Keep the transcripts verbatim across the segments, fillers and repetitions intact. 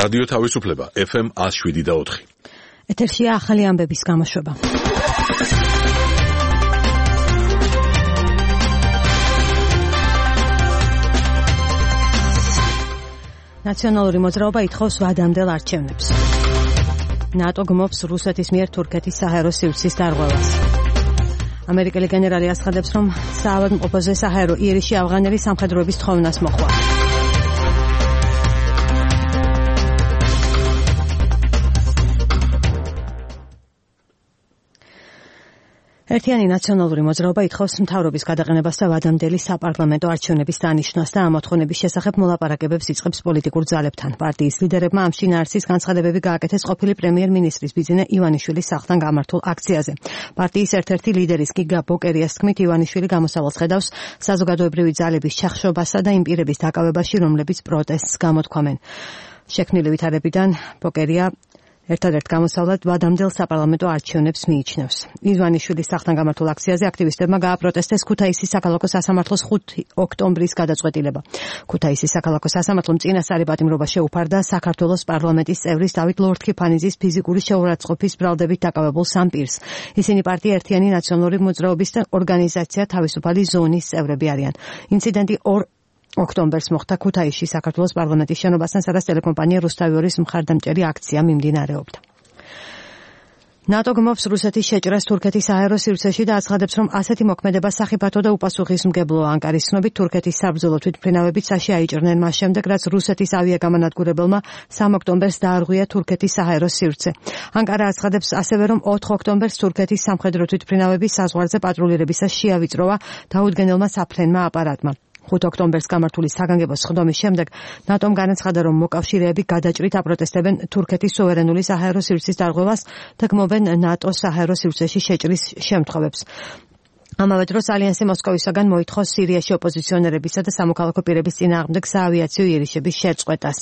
რადიო თავისუფლება ეფ ემ ათს შვიდი და ოთხი. ეთერშია ახალი ამბების გამოშვება. ნაციონალური მოძრაობა ითხოვს ვადამდელ არჩევნებს. ნატო გმობს რუსეთის მიერ თურქეთის საჰაერო სივრცის დარღვევას. ამერიკელი გენერალი აცხადებს, რომ საავადმყოფოზე საჰაერო იერიშში ავღანელი სამხედროების თხოვნას მოხვა. ერთიანი ნაციონალური მოძრაობა ითხოვს მთავრობის გადაყენებას და ვადამდელი საპარლამენტო არჩევნების დანიშნვას და ამ მოთხოვნების შესახებ მოლაპარაკებებს იწყებს პოლიტიკურ ძალებთან. პარტიის ლიდერებმა ამ შინაარსის განცხადებები გააკეთეს ყოფილი პრემიერ-მინისტრის ბიძინა ივანიშვილის სახლთან გამართულ აქციაზე. პარტიის ერთ-ერთი ლიდერის გიგა ბოკერიას თქმით, ივანიშვილი გამოსავალს ხედავს საზოგადოებრივი ძალების ჩახშობასა და იმ პირების დაკავებაში, რომლებიც პროტესტს გამოთქვამენ. შექმნილი ვითარებიდან ბოკერია ერთადერთ გამოსავლად ვადამდელ საპარლამენტო არჩევნებს მიიჩნევს. ივანიშვილის სახლთან გამართულ აქციაზე აქტივისტებმა გააპროტესტეს ქუთაისის საქალაქო სასამართლოს ხუთი ოქტომბრის გადაწყვეტილება. ქუთაისის საქალაქო სასამართლომ წინასწარი პატიმრობა შეუფარდა საქართველოს პარლამენტის წევრის დავით ლორთქიფანიძის ფიზიკური შეურაცხყოფის ბრალდებით დაკავებულ სამ პირს. ისინი პარტია ერთიანი ნაციონალური მოძრაობის და ორგანიზაცია თავისუფალი ზონის წევრები არიან. ინციდენტი ორ ოქტომბერს მოხდა ქუთაისში საქართველოს პარლამენტის შენობასთან, სადაც ტელეკომპანია რუსთავიორის მხარდამჭერი აქცია მიმდინარეობდა. ნატო გმობს რუსეთის შეჭრას თურქეთის საჰაერო სივრცეში და აცხადებს, რომ ასეთი მოქმედება სახიფათო და უპასუხისმგებლოა. ანკარის ცნობით, თურქეთის საბრძოლო თვითმფრინავებით საში აიჭრნენ მას შემდეგ, რაც რუსეთის ავიაგამანადგურებელმა სამ ოქტომბერს დაარღვია თურქეთის საჰაერო სივრცე. ანკარა აცხადებს ასევე, რომ ოთხ ოქტომბერს თურქეთის სამხედრო თვითმფრინავები საზღვარზე პატრულირებისას შეავიწროვა დაუდგენელმა საფრენმა აპარატმა. ხუთ ოქტომბერს გამართული საგანგებო სხდომის შემდეგ ნატომ განაცხადა, რომ მოკავშირეები გადაჭრით აპროტესტებენ თურქეთის სუვერენული საჰაერო სივრცის დარღვევას და გმობენ ნატოს საჰაერო სივრცეში შეჭრის შემთხვევებს. ამავე დროს ალიანსი მოსკოვისაგან მოითხოვს სირიაში ოპოზიციონერებისა და სამოქალაქო პირების წინააღმდეგ საავიაციო იერიშების შეწყვეტას.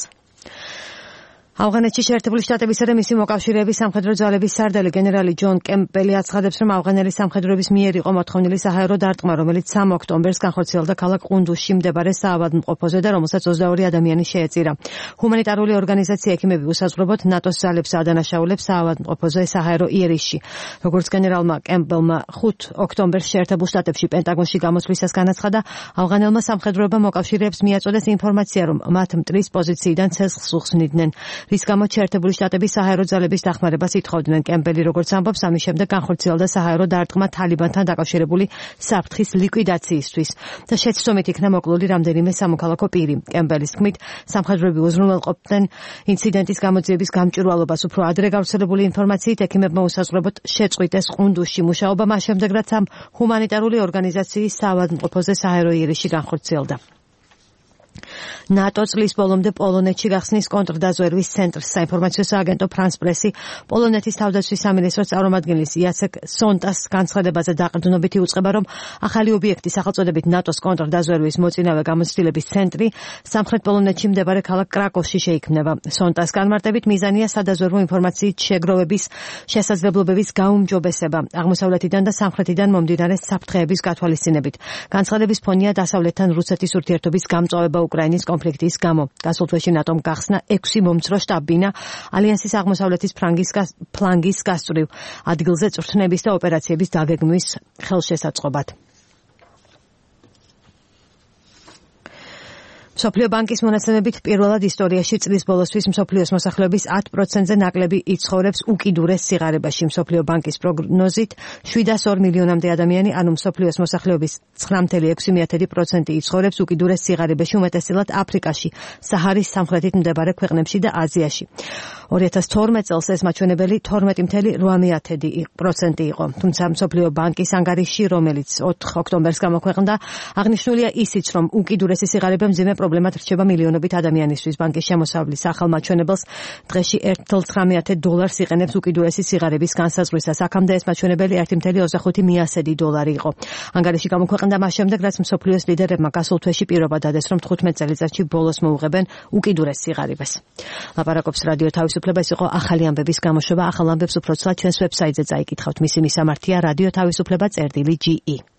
ავღანეთში შეერთებული შტატებისა და მისი მოკავშირეების სამხედრო ძალების სარდალი გენერალი ჯონ კემპბელი აცხადებს, რომ ავღანელი სამხედროების მიერ იყო მოთხოვნილი საჰაერო დარტყმა, რომელიც სამ ოქტომბერს განხორციელდა ქალაქ ყუნდუშში მდებარე საავადმყოფოზე და რომელსაც ოცდაორი ადამიანი შეეწირა. ჰუმანიტარული ორგანიზაცია ექიმები უსაზღვრობოდ ნატოს ძალებს ადანაშაულებს საავადმყოფოზე საჰაერო იერიშში. როგორც გენერალმა კემპბელმა ხუთ ოქტომბერს შეერთებულ შტატებში პენტაგონში გამოსვლისას განაცხადა, ავღანელმა სამხედროებმა მოკავშირეებს მიაწოდეს ინფორმაცია, რომ მათ მტრის პოზიციიდან ცეცხლს უხსნიდნენ. რის გამოც შეერთებული შტატების საჰაერო ძალების დახმარებას ითხოვდნენ. კემპბელი როგორც ამბობს, ამის შემდეგ განხორციელდა საჰაერო დარტყმა თალიბანთან დაკავშირებული საფრთხის ლიკვიდაციისთვის და შეცდომით იქნა მოკლული რამდენიმე სამოქალაქო პირი. კემპბელის თქმით, სამხედროები უზრუნველყოფდნენ ინციდენტის გამოძიების გამჭვირვალობას. უფრო ადრე გავრცელებული ინფორმაციით, ექიმებმა უსაზღვრებლად შეწყვიტეს ყუნდუშში მუშაობა მას შემდეგ, რაც ამ ჰუმანიტარული ორგანიზაციის საავადმყოფოზე საჰაერო იერიში განხორციელდა. ნატო წლის ბოლომდე პოლონეთში გახსნის კონტრდაზვერვის ცენტრს. საინფორმაციო სააგენტო ფრანს პრესი პოლონეთის თავდაცვის სამინისტროს წარმომადგენლის იაცეკ სონტას განცხადებაზე დაყრდნობით იუწყება, რომ ახალი ობიექტი სახელწოდებით ნატოს კონტრდაზვერვის მოწინავე გამოცდილების ცენტრი სამხრეთ პოლონეთში მდებარე ქალაქ კრაკოვში შეიქმნება. სონტას განმარტებით მიზანია სადაზვერვო ინფორმაციით შეგროვების შესაძლებლობების გაუმჯობესება აღმოსავლეთიდან და სამხრეთიდან მომდინარე საფრთხეების გათვალისწინებით. განცხადების ფონია დასავლეთთან რუსეთის ურთიერთობის გამწვავება უკრაინის კონფლიქტის გამო. გასულ თვეში ნატომ გახსნა ექვსი მომცრო შტაბ-ბინა ალიანსის აღმოსავლეთის ფლანგის გასწვრივ ადგილზე წვრთნების და ოპერაციების დაგეგმვის ხელშესაწყობად. მსოფლიო ბანკის მონაცემებით პირველად ისტორიაში წლის ბოლოსთვის მსოფლიოს მოსახლეობის ათ პროცენტზე ნაკლები იცხოვრებს უკიდურეს სიღარიბეში. მსოფლიო ბანკის პროგნოზით შვიდას ორ მილიონამდე ადამიანი, ანუ მსოფლიოს მოსახლეობის ცხრა წამსვე ექვსი პროცენტი იცხოვრებს უკიდურეს სიღარიბეში, უმეტესწილად აფრიკაში, საჰარის სამხრეთით მდებარე ქვეყნებში და აზიაში. ორი ათას თორმეტ წელს ეს მაჩვენებელი თორმეტი წამსვე ორი პროცენტი იყო. თუმცა მსოფლიო ბანკის ანგარიში, რომელიც ოთხ ოქტომბერს გამოქვეყნდა, აღნიშნულია ისიც, რომ უკიდურესი სიღარიბე მძიმე პრობლემად რჩება მილიონობით ადამიანისთვის. ბანკის შემოსავლის ახალ მაჩვენებელს დღეში ერთი წუთი ცხრამეტ დოლარს იყენებს უკიდურესი სიღარიბის განსაზღვრისას. აქამდე ეს მაჩვენებელი ერთი წუთი ოცდახუთი მიასედი დოლარი იყო. ანგარიში გამოქვეყნდა მას შემდეგ, რაც მსოფლიოს ლიდერებმა გასულ თვეში პირობა დადეს, რომ თხუთმეტ წელიწადში ბოლოს მოუღებენ უკიდურეს სიღარიბეს. ლაპარაკობს რადიო თავისუფლება, ეს იყო ახალი ამბების გამოშვება. ახალ ამბებს უფრო ცლად ჩვენს ვებსაიტზე წაიკითხავთ. მისი მისამართია რადიო თავისუფლება წერტილი ჯი ი.